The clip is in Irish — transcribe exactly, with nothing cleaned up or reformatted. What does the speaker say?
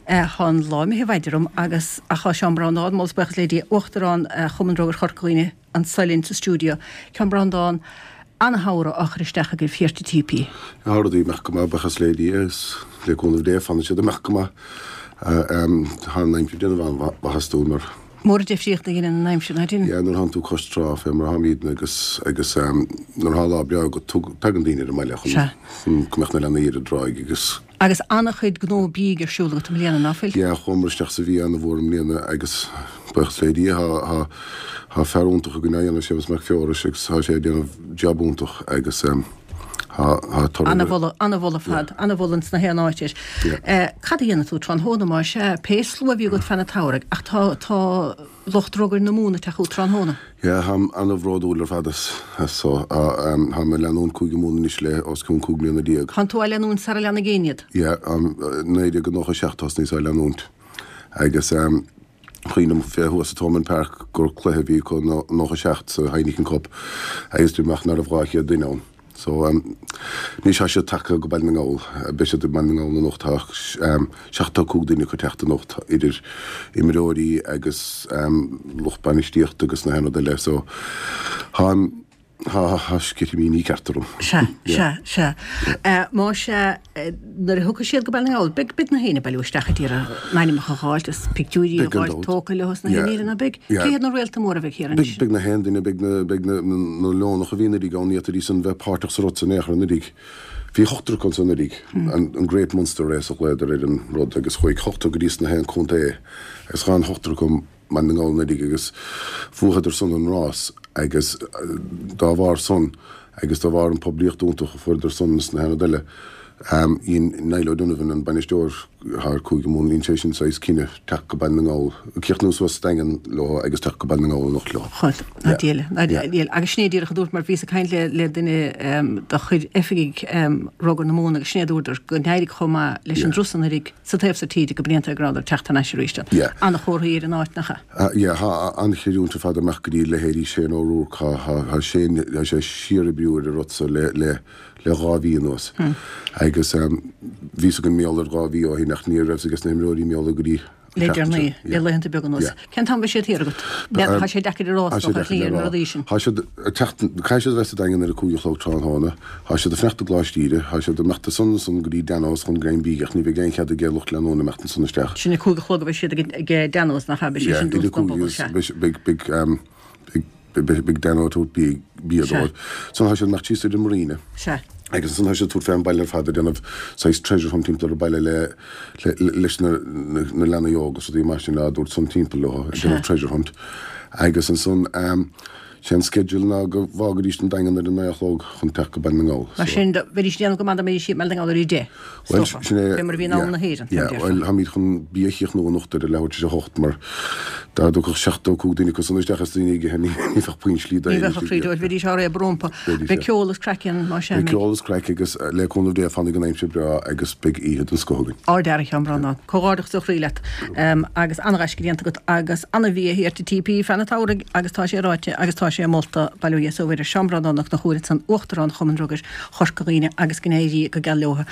Tá an lá imithe i bhfad orm agus ach tá Seán Breandán, moladh is buíochas le Dia, Uachtarán Chumann Rugair Chorca Dhuibhne anso linn sa stiúideo. Seán Breandán, ana-shamhradh á chur isteach agaibh thiar sa Típí. Tá rudaí ag imeacht go maith, buíochas le Dia, is le cúnamh Dé fanfaidh siad ag imeacht go maith. Tá an aimsir ag déanamh an-mhaitheas dúinn mar. Mór an difríocht a dhéanann an aimsir, ná déanann? Yeah, nuair atánn tú cois trá fé mar atáimidne agus agus nuair atá lá breá agat tagann daoine ar an mbaile chun chun go mbeadh na leanaí ar an dtráigh agus. Agus an-chuid gnó bídh ar siúl agat i mbliana, ná fuil? Yeah, chuamar isteach sa bhia ana-mhór i mbliana agus buíochas le Dia tá tá tá fear iontach againn á dhéanamh, Séamus Mac Feorais, agus tá sé ag déanamh jab iontach agus tá tá toradh. Ana-mholadh, ana-mholadh fad, ana-mholadh ins na haon áit air. Cad a dhéanfaidh tú tráthnóna más ea, pé slua a bhí agat feadh an tsamhraidh, ach tá, tá lucht rugair na Mumhan ag teacht chugat tráthnóna. Yeah, táim ana-bhródúil ar fad as, as so. Táim ag leanúint Cúige Mumhan anois le os cionn cúig bliana déag. Tánn tú á leanúint sara leanfaidh éinne iad? Yeah, naoi déag nócha a seacht thosnaíos á leanúint agus cuimhním fé thuas i Thomond Park gur cluiche a bhí acu nócha seacht sa Heineken Cup agus dúirt mé ach ná raibh dhá chéad duine ann. So, anois tá siad tagtha go Baile na nGall, beidh siad i mBaile na nGall anocht, tá seachtó cúig duine acu ag teacht anocht, idir imreoirí agus lucht bainistíochta agus na haon rud eile, so tá, tá sceitimíní ceart orm. Sea, sea, sea. Más ea, nuair a thiocfaidh siad go Baile na nGall, beidh, beidh na haoinne ag bailiú isteach ag iarraidh a n-ainmneacha a dh'fháilt is pictiúirí a dh'fháilt tógtha leo is na haon ní eile, ná beidh? Cé hiad na réalta móra a bheidh thiar anois? Beidh na haon duine, beidh na, beidh na, na Leonacha a bhí anuraidh ann, ní fhéadfaidís san bheith páirteach sa rud san in aon chor anuraidh. Bhí ochtar acu ansan anuraidh, an, an Great Munster Race a ghlaodar ar an rud agus chuaigh ochtar go dtí sna haon contae agus ghabh an ochtar acu Baile na nGall anuraidh agus bhuadar san an rás agus dá bharr san agus dá bharr an poiblíocht iontach a fuaireadar san is na haon rud eile dhein Niall O'Donovan an bainisteoir thar Cúige Mumhan dhein sé sin saghas cinneadh teacht go Baile na nGall, críochnú suas sa Daingean leo agus teacht go Baile na nGall anocht leo. Chóil, ná Dia le, ná Dia le. Agus sin é díreach a dúirt mar bhíos ag caint le le duine de chuid oifigigh Rugar na Mumhan agus sin é a dúradar go n-éirigh chomh maith leis an dturas anuraidh sa taobh so tíre go blianta go rabhadar ag teacht thar n-ais arís. Ana-chomharthaí ar an áit, nach ea? Yeah, tá an-chreidiúint ar fad ag imeacht go dtí leithéidí Shane O'Rourke. Tá Shane, tá sé síor-oibriú ar an rud so le, le, le dhá mhí anuas. Agus bhí 's againn mar gheall air dhá mhí ó shin ach ní raibh 's ages na himreoirí mar gheall air go dtí Le deireanaí, le laethanta beaga anuas. Cén t-am a bheidh siad thiar agat? Tá sé deacair a rá, is dócha, ar shlí ar na rudaí sin. Tá siad ag teacht, caithfidh siad a bheith sa Daingean ar a cúig a chlog tráthnóna. Tá siad ag fanacht i gColáiste Íde. Tá siad ag imeacht ansan ansan go dtí Dano's chun greim bídh ach ní bheidh aon chead ag lucht leanúna imeacht ansan isteach. Sin a cúig a chlog a bheidh siad ag Dano's, nach ea? Beidh sé sin dúnta don bpobal, sea. Beidh, beidh, beidh, beidh Dano ag tabhairt bia dóibh. Ansan tá siad ag imeacht síos ar an Marina. Sea. Agus ansan tá siad ag tabhairt fé an baile ar fad ag déanamh saghas treasure hunt timpeall ar an baile le leis na na leanaí óga is rudaí mar sin á dtabhairt san timpeall leo ag déanamh treasure hunt. Agus ansan sé an schedule ná go bhfágaidís an Daingean ar a naoi a chlog chun teacht go Baile na nGall. Mar sin bheidís ag déanamh go maith dá mbeidís i mBaile na nGall ar a deich, is dócha, fé mar a bhí in am na hÉireann, fé mar a déarfá. Bhuel, táimid chun bia a chríochnú anocht ar a leathuair tar éis a hocht mar dá dtiocfadh seachtó cúig duine acu san isteach is daoine ag ithe ní bheadh puinn slí Ní bheadh a chroí dóibh, bheidís á réabadh rompu. Beidh ceol is craic ann, más ea, Beidh ceol is craic agus le cúnamh Dé fanfaidh an aimsir breá agus beidh oíche den scoth againn. Ard-fhear, a Sheáin Breandán. Comhghairdeachas ó chroí leat agus an-ghaisce déanta agat agus an-bhia thiar sa Típí feadh an tsamhraidh agus tá sé ráite agus tá sé molta, bail ó Dhia is ó Mhuire, Seán Breandán Ó Conchúir ansan, Uachtarán Chumann Rugair Chorca Dhuibhne agus go n-éirí go geal leo.